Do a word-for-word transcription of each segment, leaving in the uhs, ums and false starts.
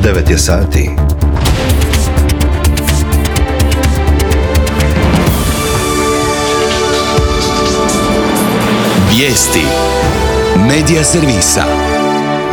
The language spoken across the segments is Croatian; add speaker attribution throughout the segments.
Speaker 1: devet je sati.
Speaker 2: Vijesti Medija servisa.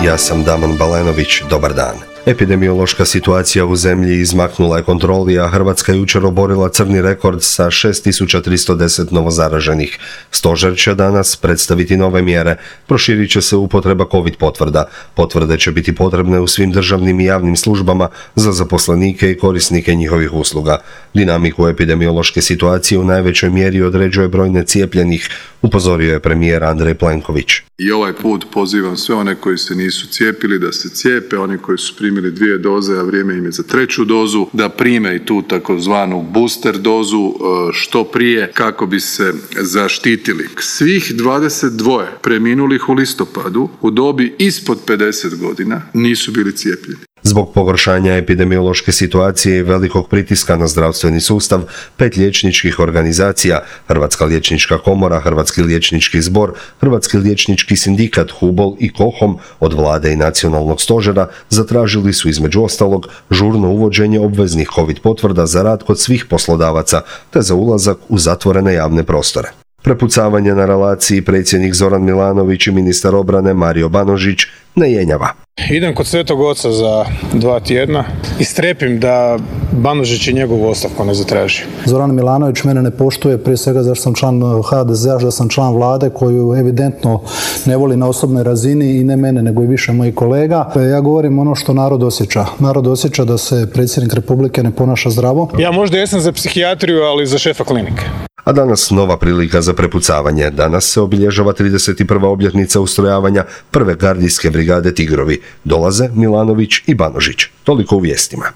Speaker 1: Ja sam Damon Balenović, dobar dan. Epidemiološka situacija u zemlji izmaknula je kontroli, a Hrvatska je jučer oborila crni rekord sa šest tisuća tristo deset novozaraženih. Stožer će danas predstaviti nove mjere. Proširit će se upotreba COVID potvrda. Potvrde će biti potrebne u svim državnim i javnim službama za zaposlenike i korisnike njihovih usluga. Dinamiku epidemiološke situacije u najvećoj mjeri određuje broj necijepljenih, upozorio je premijer Andrej Plenković.
Speaker 3: I ovaj put pozivam sve one koji se nisu cijepili da se cijepe, oni koji su primili dvije doze, a vrijeme im je za treću dozu, da prime i tu takozvanu booster dozu što prije kako bi se zaštitili. Svih dvadeset dva preminulih u listopadu u dobi ispod pedeset godina nisu bili cijepljeni.
Speaker 1: Zbog pogoršanja epidemiološke situacije i velikog pritiska na zdravstveni sustav, pet liječničkih organizacija, Hrvatska liječnička komora, Hrvatski liječnički zbor, Hrvatski liječnički sindikat, HUBOL i KOHOM od vlade i nacionalnog stožera zatražili su između ostalog žurno uvođenje obveznih COVID potvrda za rad kod svih poslodavaca te za ulazak u zatvorene javne prostore. Prepucavanje na relaciji predsjednik Zoran Milanović i ministar obrane Mario Banožić ne jenjava.
Speaker 4: Idem kod Svetog Oca za dva tjedna i strepim da Banožić i njegovu ostavku ne zatraži.
Speaker 5: Zoran Milanović mene ne poštuje, prije svega zašto sam član ha de zea, da sam član vlade koju evidentno ne voli na osobnoj razini i ne mene nego i više mojih kolega. Ja govorim ono što narod osjeća. Narod osjeća da se predsjednik Republike ne ponaša zdravo.
Speaker 4: Ja možda jesam za psihijatriju, ali za šefa klinike.
Speaker 1: A danas nova prilika za prepucavanje. Danas se obilježava trideset prva obljetnica ustrojavanja prve gardijske brigade Tigrovi. Dolaze Milanović i Banožić. Toliko u vijestima.